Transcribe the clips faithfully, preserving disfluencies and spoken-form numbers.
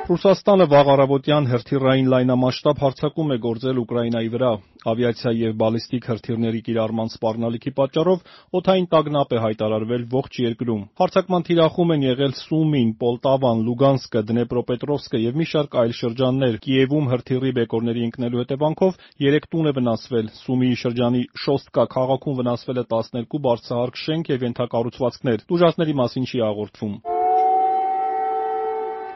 Ռուսաստանը վաղ առավոտյան հրթիռային լայնամասշտաբ հարձակում է գործել Ուկրաինայի վրա։ Ավիացիա և բալիստիկ հրթիռների կիրառման սպառնալիքի պատճառով օդային տագնապ է հայտարարվել ողջ երկրում։ Հարձակման թիրախում են եղել Սումին, Պոլտավան, Լուգանսկը, Դնեպրոպետրովսկը և մի շարք այլ շրջաններ։ Կիևում հրթիռի բեկորների ընկնելու հետևանքով երեք տուն է վնասվել։ Սումիի շրջանի Շոստկա քաղաքում վնասվել է տասներկու բարձրահարկ շենք և ենթակառուցվածքներ։ Տուժածների մասին չի հաղորդվում։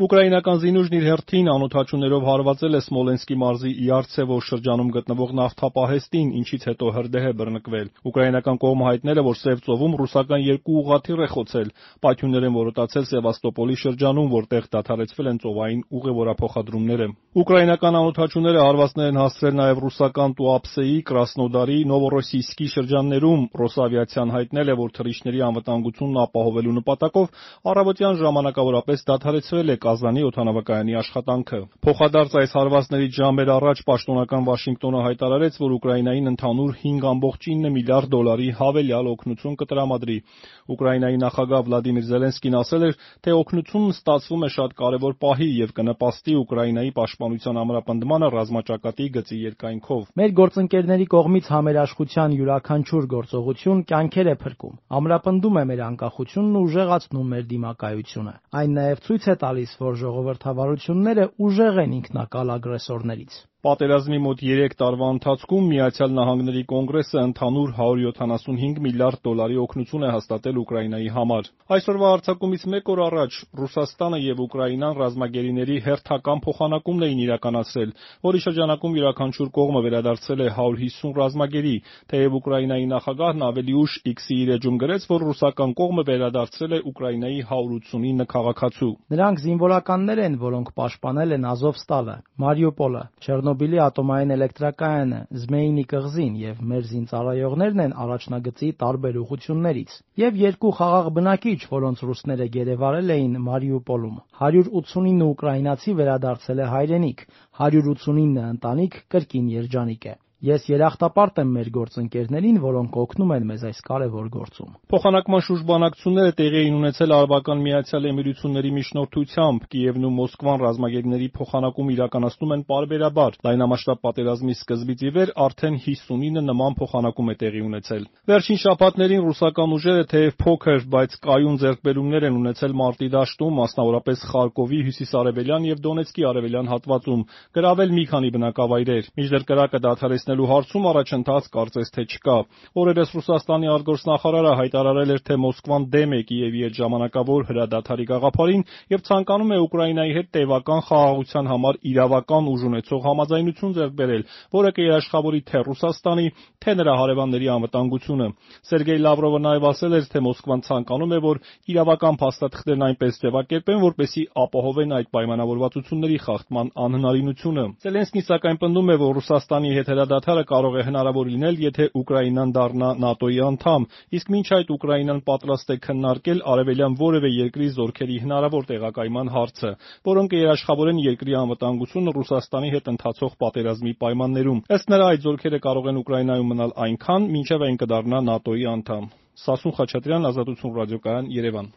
Ուկրաինական զինուժն իր հերթին անօդաչուներով հարվածել է Սմոլենսկի մարզի Իարցևո շրջանում գտնվող նավթապահեստին, ինչից հետո հրդեհ է բռնկվել։ Ուկրաինական կողմը հայտնել է, որ Սև ծովում ռուսական երկու ուղղաթիռ է խոցել։ Պայթյուններ են որոտացել Սևաստոպոլի շրջանում, որտեղ դադարեցվել են ծովային ուղևորափոխադրումները։ Ուկրաինական անօդաչուները հարվածներ են հասցրել նաև ռուսական Տուապսեի, Կրասնոդարի, Նովորոսիյսկի շրջաններում։ Ռոսավիացիան հայտնել է, որ թռիչքների անվտանգությունն ապահովելու նպատակով առավոտյան ժամանակավորապես դադարեցրել է Կազանի օդանավակայանի աշխատանքը։ Փոխադարձ այս հարվածներից ժամեր առաջ պաշտոնական Վաշինգտոնը հայտարարեց, որ Ուկրաինային ընդհանուր հինգ կόμma ինը միլիարդ դոլարի հավելյալ օգնություն կտրամադրի։ Ուկրաինայի նախագահ Վլադիմիր Զելենսկին ասել էր, թե օգնությունն ստացվում է շատ կարևոր պահի և կնպաստի Ուկրաինայի պաշտպանության ամրապնդմանը ռազմաճակատի գծի երկայնքով։ Մեր գործընկերների կողմից համերաշխության յուրաքանչյուր գործողություն կյանքեր է փրկում, ամրապնդում է մեր անկախությունն ու ուժեղացնում մեր դիմակայությունը։ Այն նաև ցույց է տալիս, որ ժողովրդավարությունները ուժեղ են ինքնակալ ագրեսորներից։ Պատերազմի մոտ երեք տարվա ընթացքում Միացյալ Նահանգների Կոնգրեսը ընդհանուր հարյուր յոթանասունհինգ միլիարդ դոլարի օգնություն է հաստատել Ուկրաինայի համար։ Այսօրվա հարձակումից մեկ օր առաջ Ռուսաստանը և Ուկրաինան ռազմագերիների հերթական փոխանակումն էին իրականացրել, որի շրջանակում յուրաքանչյուր կողմը վերադարձրել է հարյուր հիսուն ռազմագերի, թեև Ուկրաինայի նախագահն ավելի ուշ X-ի իր էջում գրեց, որ ռուսական կողմը վերադարձրել է Ուկրաինայի հարյուր ութսունինը քաղաքացու։ Նրանք զինվորականներ են, որոնք պաշտպանել են Ազովստալը, Մարիուպոլը, Չեռնոբիլի ատոմային էլեկտրակայանը, Զմեյնի կղզին և մեր զինծառայողներն են առաջնագծի տարբեր ուղղություններից։ Եվ երկու խաղաղ բնակիչ, որոնց ռուսները գերեվարել էին Մարիուպոլում։ հարյուր ութսունինը ուկրաինացի վերադարձել է հայրենիք, հարյուր ութսունինը ընտանիք կրկին երջանիկ է։ Ես երախտապարտ եմ մեր գործընկերներին, որոնք օգնում են մեզ այս կարևոր գործում։ Փոխանակման շուրջբանակցությունները տեղի էին ունեցել Արաբական Միացյալ Էմիրությունների միջնորդությամբ։ Կիևն ու Մոսկվան ռազմագերիների փոխանակում իրականացնում են պարբերաբար։ Լայնամասշտաբ պատերազմի սկզբից ի վեր արդեն հիսունինը նման փոխանակում է տեղի ունեցել։ Վերջին շաբաթներին ռուսական ուժերը թեև փոքր, բայց կայուն ձեռքբերումներ են ունեցել մարտի դաշտում, մասնավորապես Խարկովի հյուսիսարևելյան և Դոնեցկի արևելյան հատվածում, գրավել մի քանի բնակավայրեր։ Մինչդեռ կրակը դադարեցնելու հարցում առաջընթաց կարծես թե չկա։ Օրերս Ռուսաստանի արտգործնախարարը հայտարարել էր, թե Մոսկվան դեմ է Կիևի հետ ժամանակավոր հրադադարի գաղափարին և ցանկանում է Ուկրաինայի հետ տևական խաղաղության համար իրավական ուժ ունեցող համաձայնություն ձեռք բերել, որը կերաշխավորի թե Ռուսաստանի, թե նրա հարևանների անվտանգությունը։ Սերգեյ Լավրովը նաև ասել էր, թե Մոսկվան ցանկանում է, որ իրավական փաստաթղթերն այնպես ձևակերպեն, որպեսզի ապահովեն այդ պայմանավորվածությունների խախտման անհնարինությունը։ Զելենսկին սակայն պնդում է, որ Ռուսաստանի հետ հրադադարը կարող է հնարավոր լինել, եթե Ուկրաինան դառնա ՆԱՏՕ-ի անդամ, իսկ մինչ այդ Ուկրաինան պատրաստ է քննարկել արևելյան որևէ երկրի զորքերի հնարավոր տեղակայման հարցը, որոնք կերաշխավորեն երկրի անվտանգությունը Ռուսաստանի հետ ընթացող պատերազմի պայմաններում։ Ըստ նրա, այդ զորքերը կարող են Ուկրաինայում մնալ այնքան, մինչև այն կդառնա ՆԱՏՕ-ի անդամ։ Սասուն Խաչատրյան, Ազատություն ռադիոկայան, Երևան։